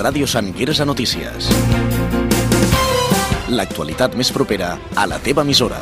Ràdio Sant Quirze Notícies. L'actualitat més propera a la teva emissora.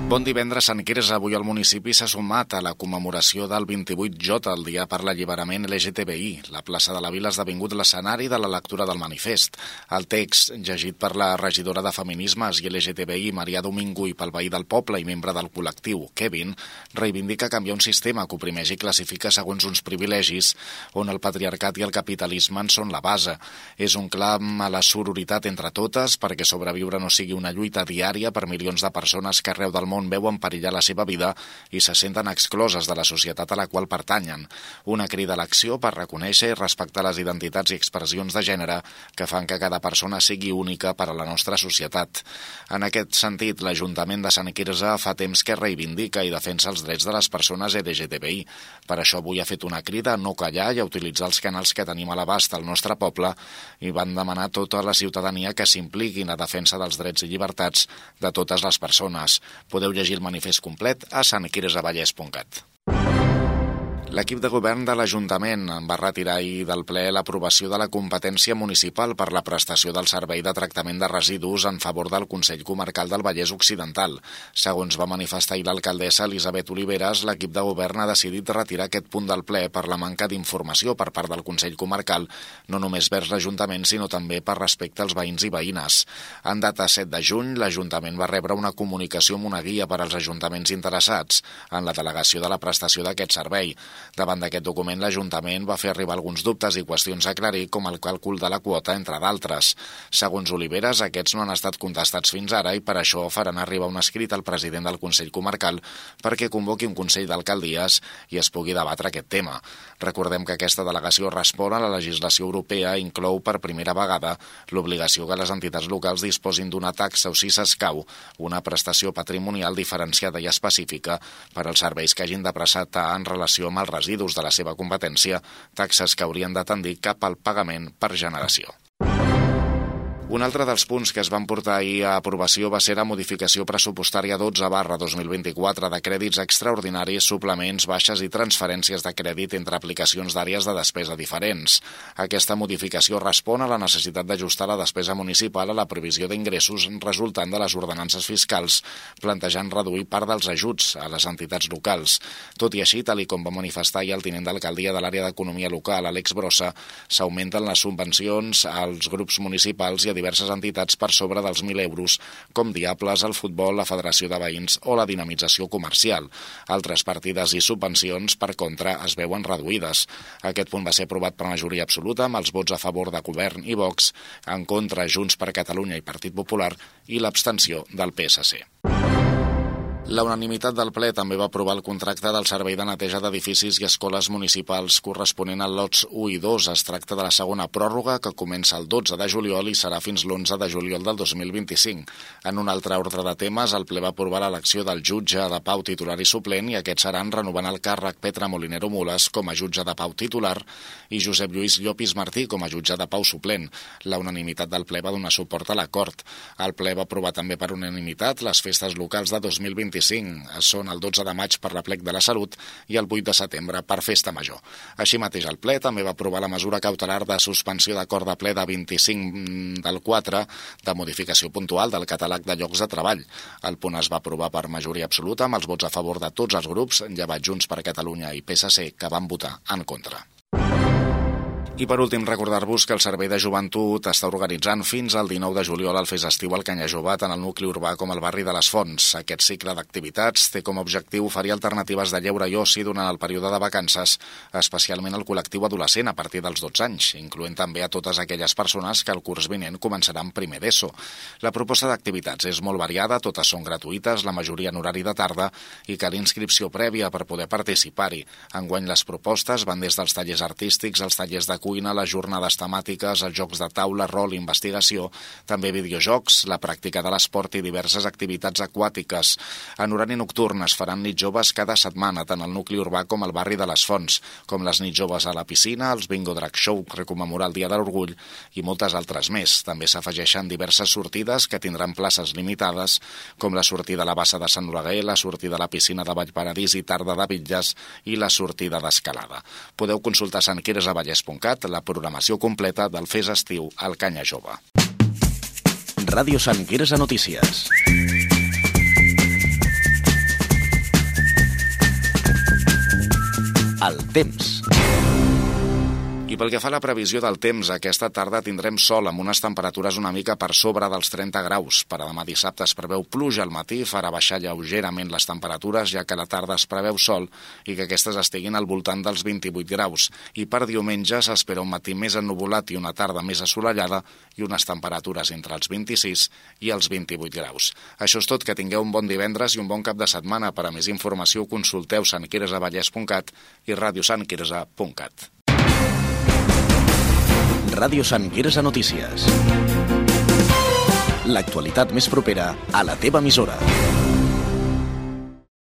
Bon divendres, Sant Quirze. Avui el municipi s'ha sumat a la commemoració del 28J, el Dia per l'Alliberament LGTBI. La plaça de la Vila ha esdevingut l'escenari de la lectura del manifest. El text, llegit per la regidora de Feminismes i LGTBI, Maria Domingo, i pel veí del poble i membre del col·lectiu, Kevin, reivindica canviar un sistema que oprimeix i classifica segons uns privilegis, on el patriarcat i el capitalisme en són la base. És un clam a la sororitat entre totes perquè sobreviure no sigui una lluita diària per milions de persones que arreu del món veuen perillar la seva vida i se senten excloses de la societat a la qual pertanyen. Una crida a l'acció per reconèixer i respectar les identitats i expressions de gènere que fan que cada persona sigui única per a la nostra societat. En aquest sentit, l'Ajuntament de Sant Quirze fa temps que reivindica i defensa els drets de les persones LGTBI. Per això avui ha fet una crida a no callar i a utilitzar els canals que tenim a l'abast al nostre poble i van demanar a tota la ciutadania que s'impliqui en la defensa dels drets i llibertats de totes les persones. Podeu llegir el manifest complet a santquirzevallès.cat. L'equip de govern de l'Ajuntament va retirar ahir del ple l'aprovació de la competència municipal per la prestació del servei de tractament de residus en favor del Consell Comarcal del Vallès Occidental. Segons va manifestar ahir l'alcaldessa Elisabet Oliveres, l'equip de govern ha decidit retirar aquest punt del ple per la manca d'informació per part del Consell Comarcal, no només vers l'Ajuntament, sinó també per respecte als veïns i veïnes. En data 7 de juny, l'Ajuntament va rebre una comunicació amb una guia per als ajuntaments interessats en la delegació de la prestació d'aquest servei. Davant d'aquest document, l'Ajuntament va fer arribar alguns dubtes i qüestions a aclarir, com el càlcul de la quota, entre d'altres. Segons Oliveres, aquests no han estat contestats fins ara i per això faran arribar un escrit al president del Consell Comarcal perquè convoqui un Consell d'Alcaldies i es pugui debatre aquest tema. Recordem que aquesta delegació respon a la legislació europea i inclou per primera vegada l'obligació que les entitats locals disposin d'una taxa o, si s'escau, una prestació patrimonial diferenciada i específica per als serveis que hagin de prestar en relació amb els residus de la seva competència, taxes que haurien de tendir cap al pagament per generació. Un altre dels punts que es van portar ahir a aprovació va ser la modificació pressupostària 12/2024 de crèdits extraordinaris, suplements, baixes i transferències de crèdit entre aplicacions d'àrees de despesa diferents. Aquesta modificació respon a la necessitat d'ajustar la despesa municipal a la previsió d'ingressos resultant de les ordenances fiscals, plantejant reduir part dels ajuts a les entitats locals. Tot i així, tal com va manifestar ahir el tinent d'alcaldia de l'àrea d'Economia Local, Àlex Brossa, s'augmenten les subvencions als grups municipals i a diverses entitats per sobre dels 1.000 euros, com Diables, el futbol, la Federació de Veïns o la dinamització comercial. Altres partides i subvencions, per contra, es veuen reduïdes. Aquest punt va ser aprovat per majoria absoluta, amb els vots a favor de Govern i Vox, en contra Junts per Catalunya i Partit Popular i l'abstenció del PSC. La unanimitat del ple també va aprovar el contracte del servei de neteja d'edificis i escoles municipals corresponent als lots 1 i 2. Es tracta de la segona pròrroga que comença el 12 de juliol i serà fins l'11 de juliol del 2025. En un altre ordre de temes, el ple va aprovar l'elecció del jutge de pau titular i suplent i aquests seran renovant el càrrec Petra Molinero Mules com a jutge de pau titular i Josep Lluís Llopis Martí com a jutge de pau suplent. La unanimitat del ple va donar suport a l'acord. El ple va aprovar també per unanimitat les festes locals de 2025. Són el 12 de maig per l'Aplec de la Salut i el 8 de setembre per Festa Major. Així mateix, el ple també va aprovar la mesura cautelar de suspensió d'acord de ple de 25 del 4 de modificació puntual del catàleg de llocs de treball. El punt es va aprovar per majoria absoluta amb els vots a favor de tots els grups, llevat Junts per Catalunya i PSC, que van votar en contra. I per últim, recordar-vos que el Servei de Joventut està organitzant fins al 19 de juliol el Fes Estiu al Canya Jove, tant al nucli urbà com al barri de les Fonts. Aquest cicle d'activitats té com a objectiu oferir alternatives de lleure i oci durant el període de vacances, especialment al col·lectiu adolescent a partir dels 12 anys, incloent també a totes aquelles persones que el curs vinent començaran primer d'ESO. La proposta d'activitats és molt variada, totes són gratuïtes, la majoria en horari de tarda, i cal inscripció prèvia per poder participar-hi. Enguany les propostes van des dels tallers artístics als tallers de cuina, les jornades temàtiques, els jocs de taula, rol, investigació, també videojocs, la pràctica de l'esport i diverses activitats aquàtiques. En horari nocturn es faran nits joves cada setmana, tant al nucli urbà com al barri de les Fonts, com les nits joves a la piscina, els bingo drag show per commemorar el Dia de l'Orgull i moltes altres més. També s'afegeixen diverses sortides que tindran places limitades, com la sortida a la bassa de Sant Oleguer, la sortida a la piscina de Vallparadís i Tarda de Bitlles i la sortida d'escalada. Podeu consultar santquirzevallès.cat actualitat la programació completa del Fes Estiu al Canya Jove. Ràdio Sant Quirze Notícies. El temps. I pel que fa a la previsió del temps, aquesta tarda tindrem sol amb unes temperatures una mica per sobre dels 30 graus. Per a demà dissabte es preveu pluja al matí, farà baixar lleugerament les temperatures, ja que a la tarda es preveu sol i que aquestes estiguin al voltant dels 28 graus. I per diumenge s'espera un matí més ennuvolat i una tarda més assolellada i unes temperatures entre els 26 i els 28 graus. Això és tot, que tingueu un bon divendres i un bon cap de setmana. Per a més informació consulteu santquirezavallès.cat i radiosantquirze.cat. Ràdio Sant Quirze Notícies. L'actualitat més propera a la teva emissora.